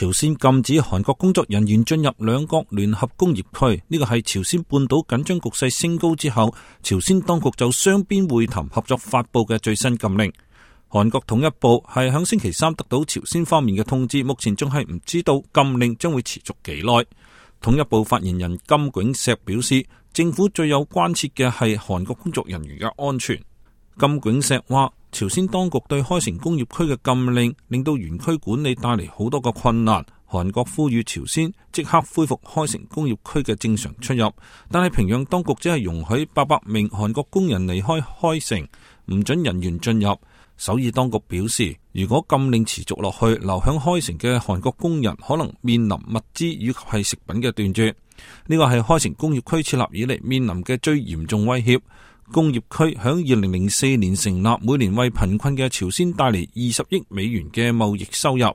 朝鮮禁止韓國工作人員進入兩國聯合工業區，呢個係朝鮮半島緊張局勢升高之後，朝鮮當局就雙邊會談合作發布嘅最新禁令。韓國統一部係響星期三得到朝鮮方面嘅通知，目前仲係唔知道禁令將會持續幾耐。統一部發言人金炳錫表示，政府最有關切嘅係韓國工作人員嘅安全。金炳錫話，朝鮮當局對開城工業區嘅禁令令到園區管理帶嚟好多個困難。韓國呼籲朝鮮即刻恢復開城工業區嘅正常出入，但係平壤當局只係容許800名韓國工人離開開城，唔准人員進入。首爾當局表示，如果禁令持續落去，留響開城嘅韓國工人可能面臨物資以及係食品嘅斷絕。呢個係開城工業區設立以嚟面臨嘅最嚴重威脅。工業區響2004年成立，每年為貧困嘅朝鮮帶嚟20億美元嘅貿易收入。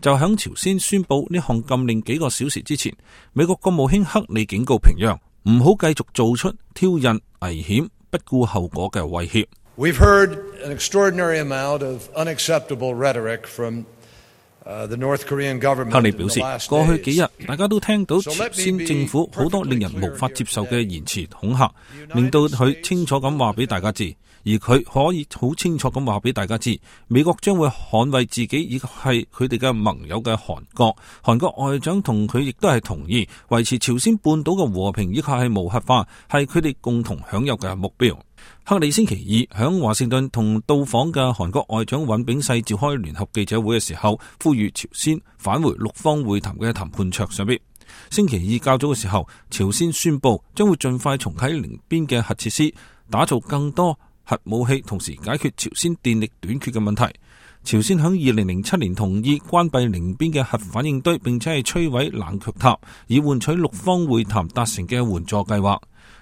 就響朝鮮宣布呢項禁令幾個小時之前，美國國務卿克里警告平壤唔好繼續做出挑釁、危險、不顧後果嘅威脅。We've heard an extraordinary amount of unacceptable rhetoric from the North Korean government. 克里表示，過去幾日大家都聽到朝鮮政府好多令人無法接受嘅言辭恐嚇，令到佢清楚咁話俾大家知，而佢可以好清楚咁話俾大家知，美國將會捍衛自己以及係佢哋嘅盟友嘅韓國。韓國外長同佢亦都係同意維持朝鮮半島嘅和平以及係無核化係佢哋共同享有嘅目標。克里星期二響華盛頓同到訪嘅韓國外長尹炳世召開聯合記者會嘅時候，呼籲朝鮮返回六方會談嘅談判桌上邊。星期二較早嘅時候，朝鮮宣布將會盡快重啟寧邊嘅核設施，打造更多核武器，同時解決朝鮮電力短缺嘅問題。朝鮮響2007年同意關閉寧邊嘅核反應堆，並且係摧毀冷卻塔，以換取六方會談達成嘅援助計劃。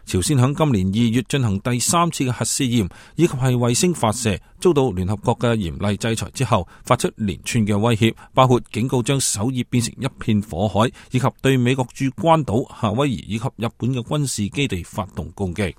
朝鮮響今年2月進行第3次嘅核試驗，以及係衛星發射，遭到聯合國嘅嚴厲制裁之後，發出連串嘅威脅，包括警告將首爾變成一片火海，以及對美國駐關島、夏威夷以及日本嘅軍事基地發動攻擊。